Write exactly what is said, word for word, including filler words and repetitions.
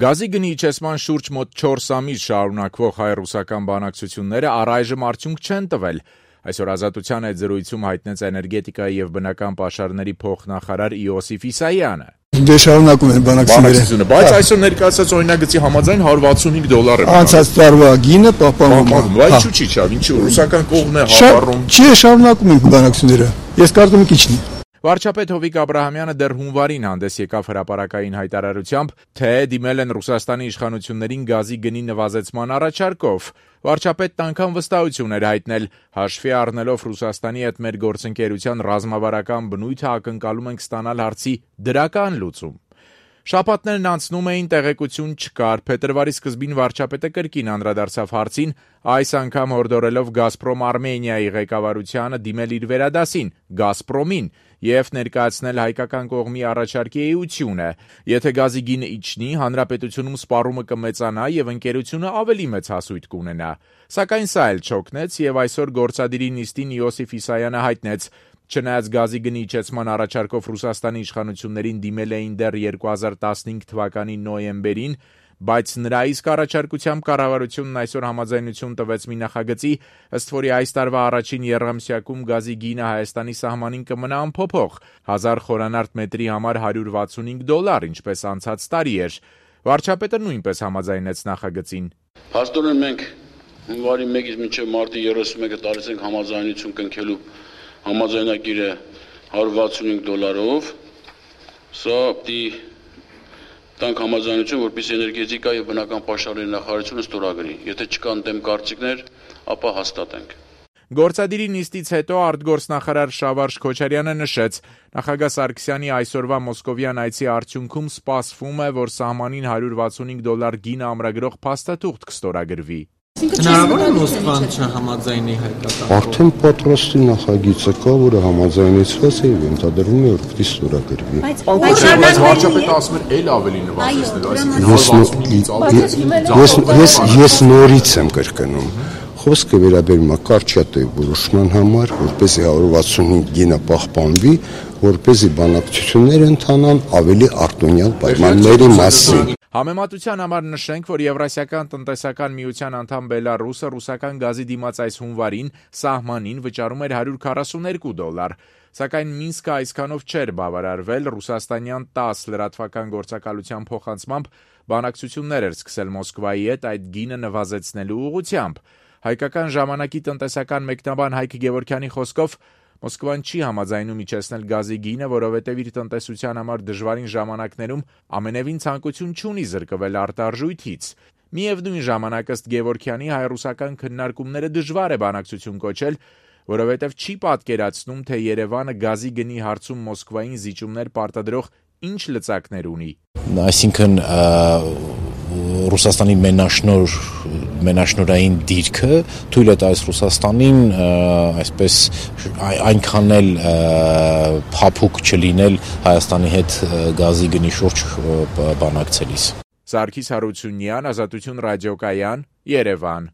Գազի գնի իջեցման շուրջ մոտ չորս ամիս շարունակվող հայ-ռուսական բանակցությունները առայժմ արդյունք չեն տվել։ Այսօր Ազատության հետ զրույցում հայտնեց էներգետիկայի եւ բնական պաշարների փոխնախարար Իոսիֆ Իսայանը։ Դե շարունակում են բանակցությունները, բայց այսօր ներկայացած օրինագծի համաձայն հարյուր վաթսունհինգ դոլար է։ Անցած տարվա գինը պահպանվում է։ Բայց ինչու՞ չի չավ, ինչու ռուսական կողմն է հավառում։ Չի, շարունակում են բանակցությունները։ Ես կարծում եմ քիչնի։ Վարչապետ Հովիկ Աբրահամյանը դեռ հունվարին հանդես եկավ հրապարակային հայտարարությամբ, թե դիմել են Ռուսաստանի իշխանություններին գազի գնի նվազեցման առաջարկով։ Վարչապետն անգամ վստահություն էր հայտնել, հաշվի առնելով Ռուսաստանի հետ մեր գործընկերության ռազմավարական բնույթը ակնկալում ենք ստանալ հարցի դրական լուծում։ Շաբաթներն անցնում էին, տեղեկություն չկար, փետրվարի սկզբին վարչապետը կրկին անդրադարձավ հարցին, այս անգամ հորդորելով Գազպրոմ Արմենիայի ղեկավարությանը դիմել իր վերադասին, Գազպրոմին, եւ ներկայացնել հայկական կողմի առաջարկի էությունը։ Եթե գազի գինը իջնի, հանրապետությունում սպառումը կմեծանա եւ ընկերությունը ավելի մեծ հասույթ կունենա։ Սակայն սա էլ չօգնեց եւ այսօր գործադիրի նիստին Իոսիֆ Իսայանը հայտնեց, չնայած գազի գնի իջեցման առաջարկով Ռուսաստանի իշխանություններին դիմել էին դեռ երկու հազար տասնհինգ թվականի նոյեմբերին, բայց նրա իսկ առաջարկությամբ կառավարությունն այսօր համաձայնություն տվեց մի նախագծի, ըստ որի այս տարվա առաջին եռամսյակում գազի գինը Հայաստանի սահմանին կմնա անփոփոխ, հազար խորանարդ մետրի համար հարյուր վաթսունհինգ դոլար, ինչպես անցած տարի էր։ Վարչապետը նույնպես համաձայնեց նախագծին։ Հաստորեն մենք հունվարի մեկից մինչև մարտի երեսունմեկը տարեց ենք համաձայնություն կնքելու համաձայնագիրը հարյուր վաթսունհինգ դոլարով, սա պիտի տանք համաձայնություն, որպեսզի էներգետիկա եւ բնական պաշարների նախարարությունը ստորագրի։ Եթե չկան դեմ կարծիքներ, ապա հաստատենք։ Գործադիրի նիստից հետո արտգործնախարար Շավարժ Քոչարյանը նշեց, նախագահ Սարգսյանի այսօրվա մոսկովյան այցի արդյունքում սպասվում է, որ սահմանին հարյուր վաթսունհինգ դոլար գինը ամրագրող փաստաթուղթ կստորագրվի։ Հնարավոր է Մոսկվան չհամաձայնի հայկական։ Արդեն պատրաստի նախագիծը կա, որը համաձայնեցված է եւ ենթադրվում է, որ պիտի ստորագրվի։ Բայց վարչապետը ասում է, էլ ավելի նվազեցնել, այսինքն ես ես նորից եմ կրկնում։ Խոսքը վերաբերում է կարճատև որոշման համար, որպեսզի հարյուր վաթսունհինգ գինը պահպանվի, որպեսզի բանակցություններ ընթանան ավելի արտոնյալ պայմանների մասին։ Համեմատության համար նշենք, որ Եվրասիական տնտեսական միության անդամ Բելարուսը ռուսական գազի դիմաց այս հունվարին սահմանին վճարում էր հարյուր քառասունհինգ դոլար, սակայն Մինսկը այսքանով չէր բավարարվել, ռուսաստանյան տաս լրատվական գործակալության փոխանցմամբ բանակցություններ էր սկսել Մոսկվայի հետ այդ գինը նվազեցնելու ուղղությամբ։ Հայկական ժամանակի տնտեսական մեկնաբան Հայկ Գևորգյանի խոսքով Մոսկվան չի համաձայնում իջեցնել գազի գինը, որովհետև իր տնտեսության համար դժվարին ժամանակներում ամենևին ցանկություն չունի զրկվել արտարժույթից։ Միևնույն ժամանակ ըստ Գևորգյանի հայ-ռուսական քննարկումները դժվար է բանակցություն կոչել, որովհետև չի պատկերացնում, թե Երևանը գազի գնի հարցում Մոսկվային զիջումներ պարտադրող ինչ լծակներ ունի։ Այսինքն Ռուսաստանի մենաշնոր մենաշնորային դիրքը թույլ է տալիս Ռուսաստանին այսպես այնքան էլ փափուկ չլինել Հայաստանի հետ գազի գնի շուրջ բանակցելիս։ Սարգիս Հարությունյան, Ազատություն ռադիոկայան, Երևան։